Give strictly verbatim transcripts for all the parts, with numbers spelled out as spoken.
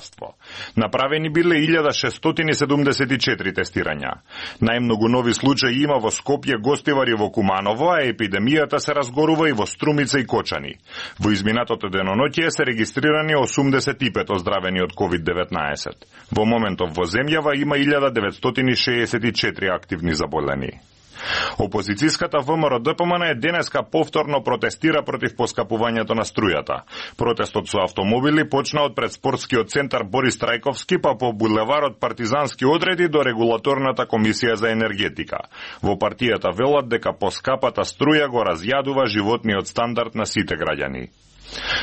здравство. Направени биле илјада шестстотини седумдесет и четири тестирања. Најмногу нови случаи има во Скопје, Гостивар и во Куманово, а епидемијата се разгорува и во Струмица и Кочани. Во изминатото деноноќие се регистрирани осумдесет и пет оздравени од ковид деветнаесет. Во моментов во земјава има илјада деветстотини шеесет и четири активни заболени. Опозицијската ВМРО-ДПМН е денеска повторно протестира против поскапувањето на струјата. Протестот со автомобили почна од пред спортскиот центар Борис Трајковски, па по булеварот Партизански одреди до регулаторната комисија за енергетика. Во партијата велат дека поскапата струја го разјадува животниот стандард на сите граѓани.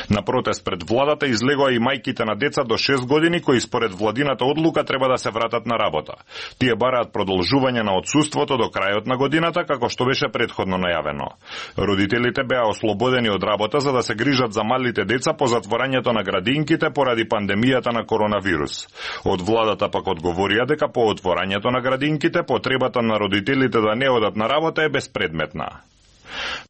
На протест пред владата излегоа и мајките на деца до шест години кои според владината одлука треба да се вратат на работа. Тие бараат продолжување на отсуството до крајот на годината, како што беше претходно најавено. Родителите беа ослободени од работа за да се грижат за малите деца по затворањето на градинките поради пандемијата на коронавирус. Од владата пак одговорија дека по отворањето на градинките потребата на родителите да не одат на работа е безпредметна.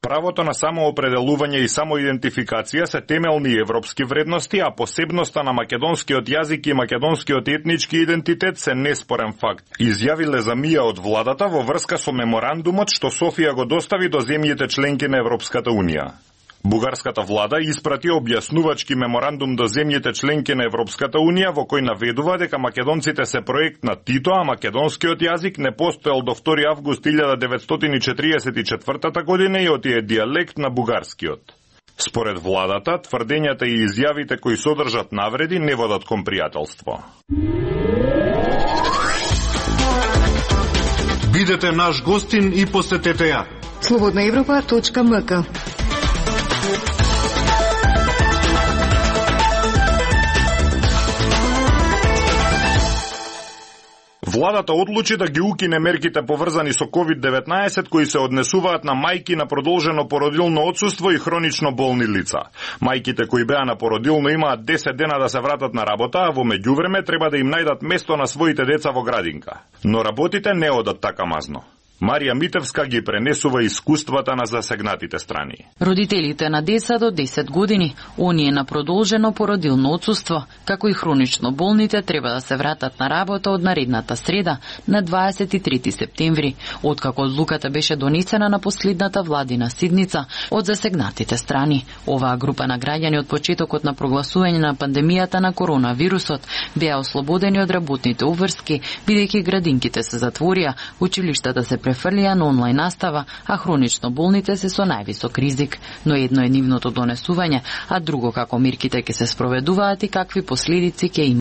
Правото на самоопределување и самоидентификација се темелни европски вредности, а посебноста на македонскиот јазик и македонскиот етнички идентитет се неспорен факт, изјавиле за мија од владата во врска со меморандумот што Софија го достави до земјите членки на Европската унија. Бугарската влада испрати објаснувачки меморандум до земјите членки на Европската унија во кој наведува дека македонците се проект на Тито, а македонскиот јазик не постоел до втори август илјада деветстотини четириесет и четвртата година и оти е дијалект на бугарскиот. Според владата, тврдењата и изјавите кои содржат навреди не водат кон пријателство. Бидете наш гостин и посетете ја. слободна европа точка ем ка. Владата одлучи да ги укине мерките поврзани со ковид деветнаесет кои се однесуваат на мајки на продолжено породилно отсуство и хронично болни лица. Мајките кои беа на породилно имаат десет дена да се вратат на работа, а во меѓувреме треба да им најдат место на своите деца во градинка. Но работите не одат така мазно. Марија Митевска ги пренесува искуствата на засегнатите страни. Родителите на деца до десет години, оние на продолжено породилно отсуство, како и хронично болните, треба да се вратат на работа од наредната среда на дваесет и трети септември, откако одлуката беше донесена на последната владина седница од засегнатите страни. Оваа група на граѓани од почетокот на прогласување на пандемијата на коронавирусот беа ослободени од работните обврски, бидејќи градинките се затворија, училиштата се префрлија на онлайн настава, а хронично болните се со највисок ризик. Но едно е нивното донесување, а друго како мерките ќе се спроведуваат и какви последици ќе има.